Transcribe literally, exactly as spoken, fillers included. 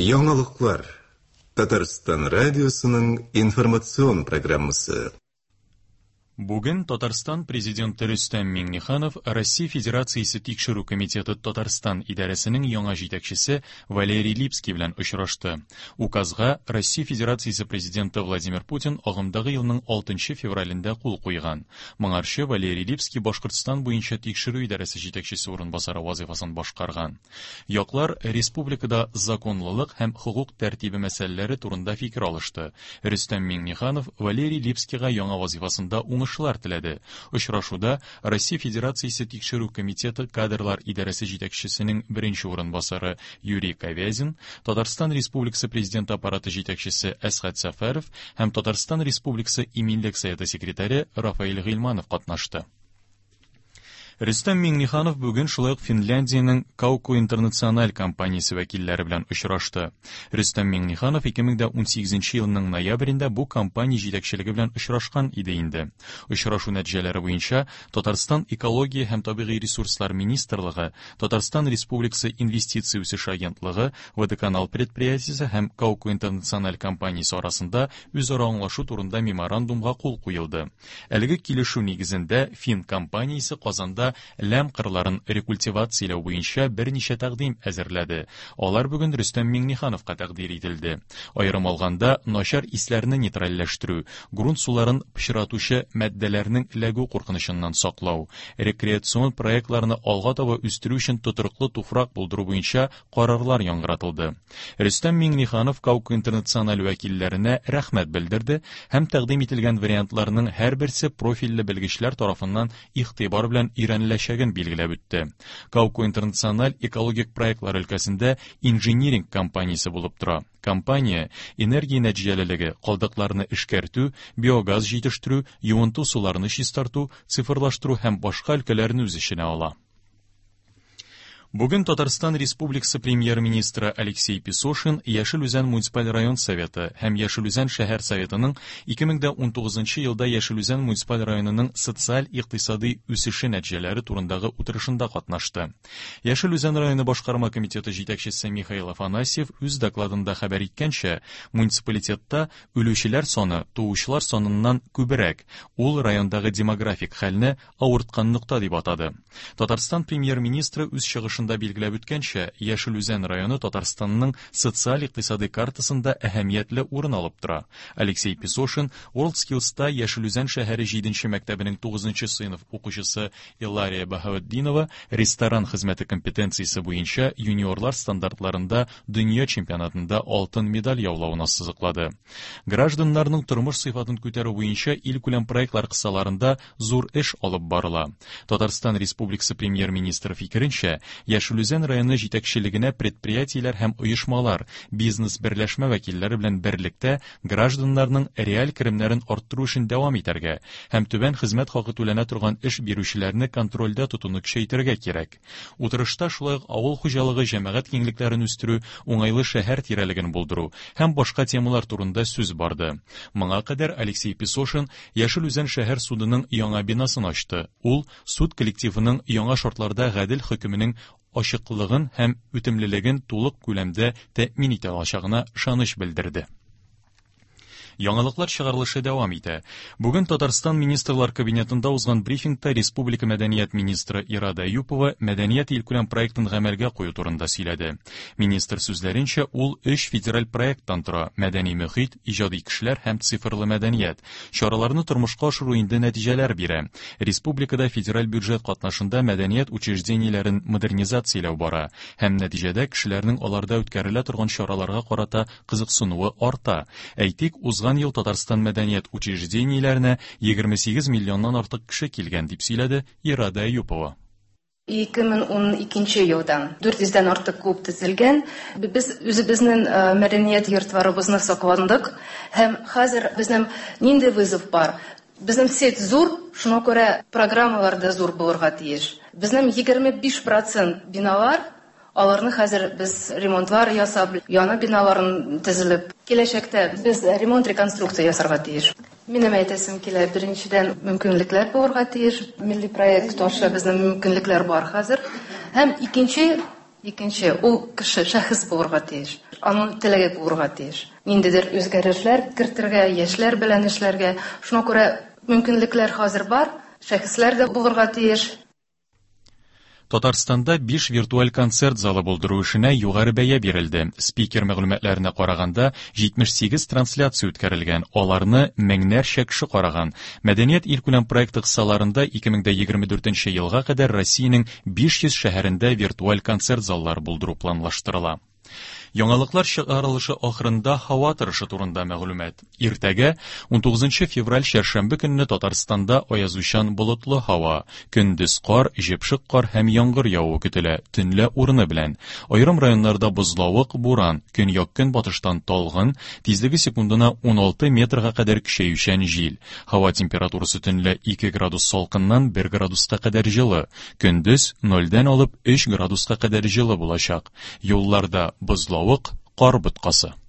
Яңалыклар. Татарстан радиосының информацион программасы. Бүген Татарстан президенты Рөстәм Миңнеханов Россия Федерациясе Тикшерү комитеты Татарстан идарәсенең яңа җитәкчесе Валерий Липский белән очрашты. Указга Россия Федерациясе президенты Владимир Путин агымдагы елның алтынчы февралендә кул куйган. Моңарчы Валерий Липский Башкортстан буенча тикшерү идарәсе җитәкчесе урынбасары вазифасын башкарган. Яклар республикада законлылык һәм хокук тәртибе мәсьәләләре турында фикер алышты. Рөстәм Миңнеханов Валерий Липскийга яңа вазифасында уңыш теләде. Очрашуда Россия Федерациясе Тикшерү комитеты кадрлар идарәсе җитәкчесенең беренче урынбасары Юрий Ковязин, Татарстан Республикасы Президенты аппараты җитәкчесе Әсхәт Сәфәров һәм Татарстан Республикасы Иминлек советы секретаре Рафаэль Гыйльманов катнашты. Рөстәм Миңнеханов бүген шулай ук Финляндиянең Kauko International компаниясе вәкилләре белән очрашты. Рөстәм Миңнеханов ике мең дә унсигезенче елның ноябрендә бу компания җитәкчелеге белән очрашкан иде инде. Очрашу нәтиҗәләре буенча Татарстан Экология һәм табигый ресурслар министрлыгы, Татарстан Республикасы Инвестиция үсеше агентлыгы, Водоканал предприятиесе һәм Kauko International компаниясе арасында үзара аңлашу турында меморандумга кул куелды. Әлеге килешү нигезендә Фин компаниясе Казанда ләм кырларын рекультивацияләү буенча берничә тәкъдим әзерләде. Алар бүген Рөстәм Миңнехановка тәкъдир ителде. Аерым алганда, начар исләрне нейтральләштерү, грунт суларын пычратучы матдәләрнең эләгү куркынычыннан саклау, рекреацион проектларны алга таба үстерү өчен тотрыклы туфрак булдыру буенча карарлар яңгыратылды. Рөстәм Миңнеханов Kauko International вәкилләренә рәхмәт белдерде һәм тәкъдим ителгән вариантларның һәрберсе профильле белгечләр тарафыннан игътибар белән өйрәнеләчәген билгеләп үтте. Kauko International экологик проектлар өлкәсендә инжиниринг компаниясе булып тора. Компания энергия нәтиҗәлелеге, калдыкларны эшкәртү, биогаз җитештерү, юынту суларны чистарту, цифрлаштыру һәм башка өлкәләрне үз эченә ала. Бүген Татарстан Республикасы премьер-министры Алексей Песошин Яшел Үзән муниципаль район советы һәм Яшел Үзән шәһәр советының ике мең дә унтугызынчы елда Яшел Үзән муниципаль районының социаль-икътисади үсеше нәтиҗәләре турындагы утырышында катнашты. Яшел Үзән районы башкарма комитеты җитәкчесе Михаил Афанасьев үз докладында хәбәр иткәнчә, муниципалитетта үлүчеләр саны туучылар саныннан күбрәк. Ул райондагы демографик хәлне авырткан нокта дип атады. Татарстан премьер-министры үз чыгышында билгеләп үткәнчә, Яшел Үзән районы Татарстанның социаль-икътисади картасында әһәмиятле урын алып тора. Алексей Песошин WorldSkills'та Яшел Үзән шәһәре җиденче мәктәбенең тугызынчы сыйныф укучысы Илария Баһаветдинова ресторан хезмәте компетенциясе буенча юниорлар стандартларында дөнья чемпионатында алтын медаль яулавын ассызыклады. Гражданнарның тормыш сыйфатын күтәрү буенча илкүләм проектлар кысаларында зур эш алып барыла. Татарстан Республикасы премьер-министры фикеренчә, Яшел Үзән районы җитәкчелегенә предприятиеләр һәм оешмалар, бизнес берләшмә вәкилләре белән берлектә гражданнарның реаль керемнәрен арттыру өчен дәвам итәргә һәм түбән хезмәт хакы түләнә торган эш бирүчеләрне контрольдә тотуны көчәйтергә кирәк. Утырышта шулай ук авыл хуҗалыгы җәмәгать киңлекләрен үстерү, уңайлы шәһәр тирәлеген булдыру һәм башка темалар турында сүз барды. Моңа кадәр Алексей Песошин Яшел Үзән шәһәр судының яңа бинасын ачты. Ул суд коллективының яңа шартларда гадел хөкеменең ачыклыгын һәм үтемлелеген тулык күләмдә тәэмин итә алачагына ышаныч белдерде. Яңалыклар чыгарылышы дәвам итә. Бүген Татарстан Министрлар Кабинетында узган брифингта Республика Мәдәният министры Ирада Әюпова Мәдәният илкүләм проектын гамәлгә кую турында сөйләде. Министр сүзләренчә, ул өч федераль проекттан тора: мәдәни мөхит, иҗади кешеләр һәм цифрлы мәдәният. Чараларны тормышка ашыру инде нәтиҗәләр бирә. Республикада федераль бюджет катнашында мәдәният учреждениеләрен модернизацияләү бара һәм нәтиҗәдә кешеләрнең аларда үткәрелә торган чараларга карата кызыксынуы арта. Әйтик, узган ел Татарстан мәдәният учреждениеләренә егерме сигез миллионнан артык кеше килгән, дип сөйләде Ирада Әюпова. Ике мең ун икенче елдан дүрт йөздән артык клуб төзелгән. Без үзебезнең, э, мәдәният йортларыбызны сакландык һәм хәзер безнең нинди вызов бар? Безнең сеть зур, шуңа күрә программалар да зур булырга тиеш. Безнең егерме биш процент биналар, аларны хәзер без ремонтлар ясап, яңа биналарын төзелеп, киләчәктә без ремонт реконструкция ясарга тиеш. Минем әйтәсем килә, беренчедән мөмкинлекләр булырга тиеш. Милли проект аша безнең мөмкинлекләр бар хәзер. Һәм икенче Икенче, ул кеше шәхес булырга тиеш. Аның теләге булырга тиеш. Ниндидер үзгәрешләр кертергә, яшьләр белән эшләргә. Шуңа күрә мөмкинлекләр хәзер бар, шәхесләр дә булырга тиеш. Татарстанда биш виртуаль концерт залы булдыру эшенә югары бәя бирелде. Спикер мәгълүматларына караганда, җитмеш сигез трансляция үткәрелгән, аларны меңнәрчә кеше караган. Мәдәният илкүләм проекты кысаларында ике мең дә егерме дүртенче елга кадәр Россиянең биш йөз шәһәрендә виртуаль концерт заллары булдыру планлаштырыла. Яңалыклар чыгарылышы ахырында һава торышы турында мәгълүмат. Иртәгә унтугызынчы февраль чәршәмбе көнне Татарстанда аязучан болытлы һава, көндез кар, җепшек кар һәм яңгыр явуы көтелә, төнлә урыны белән. Аерым районнарда бозлавык, буран, көньяк-көнбатыштан талгын, тизлеге секундына уналты метрга кадәр көчәючән җил. Һава температурасы төнлә ике градус салкыннан бер градуска кадәр җылы, көндез нольдән алып өч градуска кадәр җылы булачак. Юлларда бозлавык, кар боткасы.